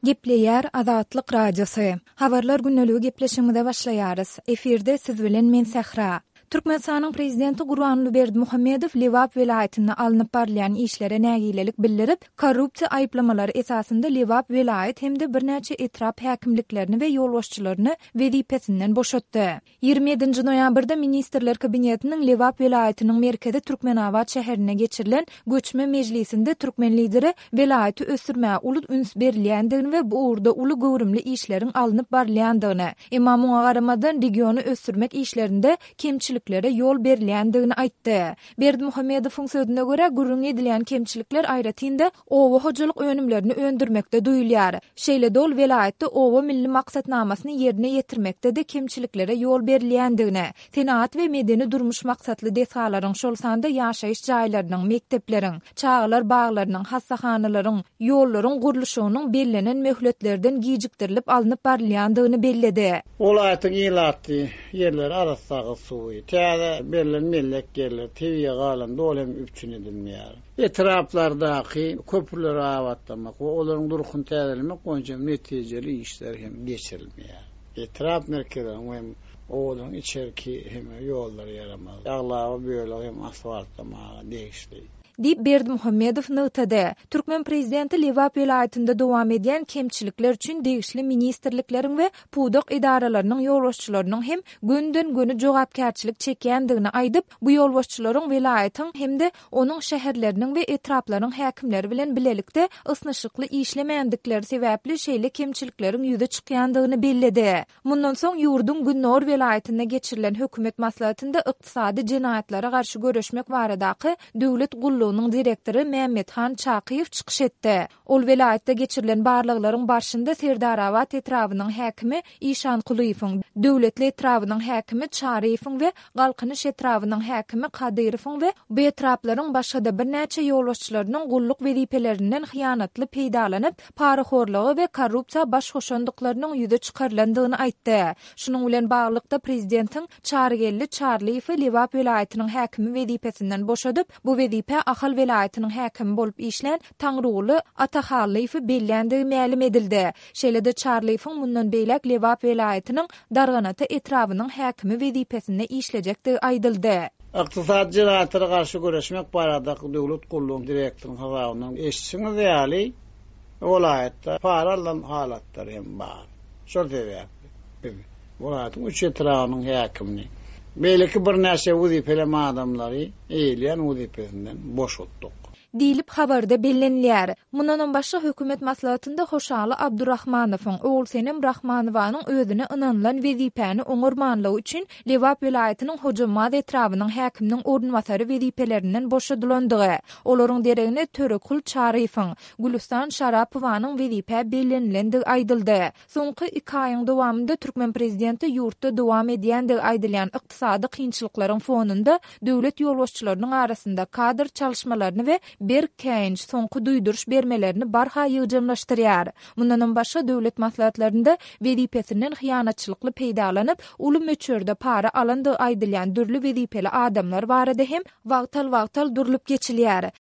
Gepleýär Azatlyk Radiosy. Habarlar gündeligi gepleşigimize başlaýarys. Efirde siz bilen men Sähra. Türkmenistanyň Prezidenti Gurbanguly Berdimuhamedow Lebap welaýatynda alnyp barylýan işlere nägilelik bildirip, korrupsiýa aýyplamalary esasynda Lebap welaýat hem-de birnäçe etrap häkimliklerini we ýolbaşçylaryny wezipesinden boşatdy. 27-nji noýabrda Ministrler Kabinetiniň Lebap welaýatynyň merkezi Türkmenabat şäherinde geçirilen göçme mejlisinde türkmen Lideri welaýaty ösdürmäge uly üns berilýändigini we bu ugurda uly göwrümli işleriň alnyp barylýandygyny, emma muňa garamazdan regiony ösdürmek işlerinde kemçiliklere ýol berilýändigini aýtdy. Berdimuhamedowyň sözüne görä, gürrüňi edilýän kemçilikler aýratyn-da oba hojalyk önümlerini öndürmekde duýulýar. Şeýle-de ol welaýatda Oba milli maksatnamasyny ýerine ýetirmekde-de kemçiliklere ýol berilýändigini, senagat we medeni-durmuş maksatly desgalaryň, şol sanda ýaşaýyş jaýlarynyň, mekdepleriň, çagalar baglarynyň, hassahanalaryň, ýollaryň gurluşygynyň bellenen möhletlerden gijikdirilip alnyp barylýandygyny belledi. Welaýatyň ilatly ýerleri arassa agyz suwy, täze berlen mellek ýerler, tebigy galan doly hem üpjün edilmeýär. Etraplardaky köprüleri abatlamak we olaryň durkuny täzelemek boýunça netijeli işler hem geçirilmeýär. Etrap merkezleriniň hem obalaryň içerki hem ýollary ýaramaz. Aglaba bölegi hem asfaltlamaga degişli. Diýip, Berdimuhamedow nygtady. Türkmen prezidenti Lebap welaýatynda dowam edýän kemçilikler üçin degişli ministrlikleriň we pudak edaralarynyň ýolbaşçylarynyň hem gönüden-göni jogapkärçilik çekýändigini aýdyp, bu ýolbaşçylaryň welaýatyň hem-de onuň şäherleriniň we etraplaryň häkimleri bilen bilelikde ysnyşykly işlemändikleri sebäpli şeýle kemçilikleriň ýüze çykýandygyny belledi. Mundan soň ýurduň gündogar welaýatynda geçirilen hökümet maslahatynda ykdysady jenaýatlara garşy göreşmek baradaky döwlet gullugynyň direktory Mämmethan Çakyýew çykyş etdi. Ol welaýatda geçirilen barlaglaryň barşynda Serdarabat etrabynyň häkimi Işankulyýewiň, Döwletli etrabynyň häkimi Çaryýewiň we Galkynyş etrabynyň häkimi Kadyrowyň we bu etraplaryň başga-da birnäçe ýolbaşçylarynyň gulluk wezipelerinden hyýanatly peýdalanyp, parahorluga we korrupsiýa baş goşandyklarynyň ýüze çykarylandygyny aýtdy. Şunuň bilen baglylykda, prezidentiň Çarygeldi Çarlyýewi Lebap welaýatynyň häkimi wezipesinden boşadyp, bu wezipä Ahal welaýatynyň häkimi bolup işlän Taňryguly Atahallyýewi belländigi mälim edildi. Şeýle-de Çarlyýewiň mundan beýläk Lebap welaýatynyň Darganata etrabynyň häkimi wezipesinde işlejekdigi aýdyldy. Ykdysady jenaýatlara garşy göreşmek baradaky döwlet gullugynyň direktorynyň hasabyndan eşidişiňiz ýaly, welaýatda para alnan halatlar hem bar. Şol sebäpli biz welaýatyň üç etrabynyň häkimini, beýleki birnäçe wezipeli adamlary eýeleýän wezipesinden boşatdyk. Diýlip, habarda bellenilýär. Mundanam başga, hökümet maslahatynda Hoşaly Abdurahmanowyň, Ogulsenem Rahmanowanyň özüne ynanylan wezipäni oňarmanlygy üçin Lebap welaýatynyň Hojambaz etrabynyň häkiminiň orunbasary wezipelerinden boşadylandygy, olaryň deregine Törekul Çaryýewiň, Gülüstan Şarapowanyň wezipä bellenilendigi aýdyldy. Soňky iki aýyň dowamynda türkmen prezidenti ýurtda dowam edýändigi aýdylýan ykdysady kynçylyklaryň fonunda döwlet ýolbaşçylarynyň arasynda kadr çalyşmalaryny we berk käýinç, soňky duýduryş bermelerini barha ýygjamlaşdyrýar. Mundanam başga döwlet maslahatlarynda wezipesinden hyýanatçylykly peýdalanyp, uly möçberde para alandygy aýdylýan dürli wezipeli adamlar barada hem wagtal-wagtal durlup geçilýär.